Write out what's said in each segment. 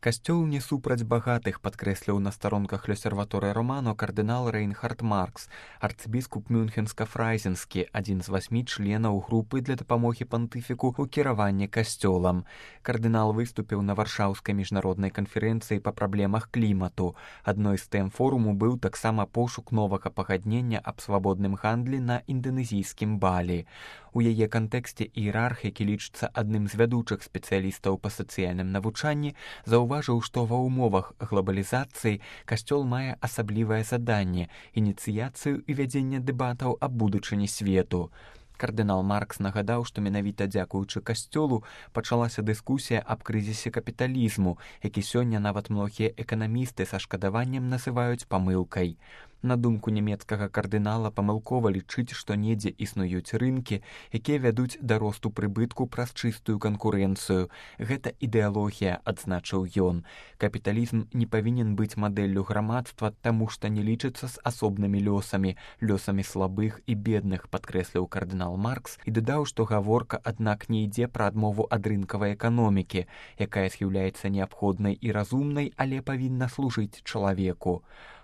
Касцёл не супраць багатых, падкрэсліў на старонках L'Osservatore Romano кардынал Рейнхард Маркс, арцыбіскуп Мюнхенска-Фрайзенскі, адзін з 8 членаў групы для дапамогі пантыфіку ў кіраванні касцёлам. Кардынал выступіў на варшаўскай міжнароднай канферэнцыі па праблемах клімату. Адной з тэм форуму быў таксама пошук новага пагаднення аб свабодным гандлі на інданезійскім Балі. У яе кантэксце іерарх, які лічыцца адным з вядучых спецыялістаў па сацыяльным навучанні, заўважыў, што ва ўмовах глобалізацыі касцёл мае асаблівае заданне – ініцыяцыю і вядзенне дэбатаў аб будучыні свету. Кардынал Маркс нагадаў, што менавіта дзякуючы касцёлу пачалася дыскусія аб крызісе капіталізму, які сёння нават многія эканамісты са шкадаваннем называюць памылкай. На думку нямецкага кардынала, памылкова лічыць, што недзе існуюць рынкі, якія вядуць да росту прыбытку праз чыстую канкурэнцыю. Гэта ідэалогія, адзначыў ён. Капіталізм не павінен быць мадэллю грамадства, таму што не лічыцца з асобнымі лёсамі слабых і бедных, падкрэсліў кардынал Маркс і дадаў, што гаворка, аднак, не ідзе пра адмову ад рынкавай эканомікі, якая з'яўляецца неабходнай і разумнай, але павінна служыць чалавеку.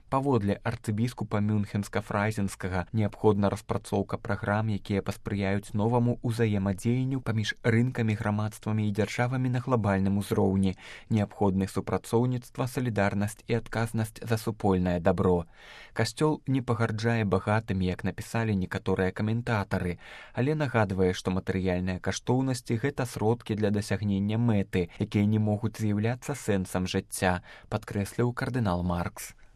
Паводле арцыбіскупа Мюнхенска-Фрайзенскага неабходна распрацоўка праграм, якія паспрыяюць новаму ўзаемадзеянню паміж рынкамі, грамадствамі і дзяржавамі на глабальным узроўні. Неабходны супрацоўніцтва, салідарнасць і адказнасць за супольнае дабро. Касцёл не пагарджае багатымі, як напісалі некаторыя каментатары, але нагадвае, што матэрыяльныя каштоўнасці – гэта сродкі для дасягнення мэты, якія не могуць з'яўляцца сэнсам жыцця, падкрэсліў кардынал Маркс.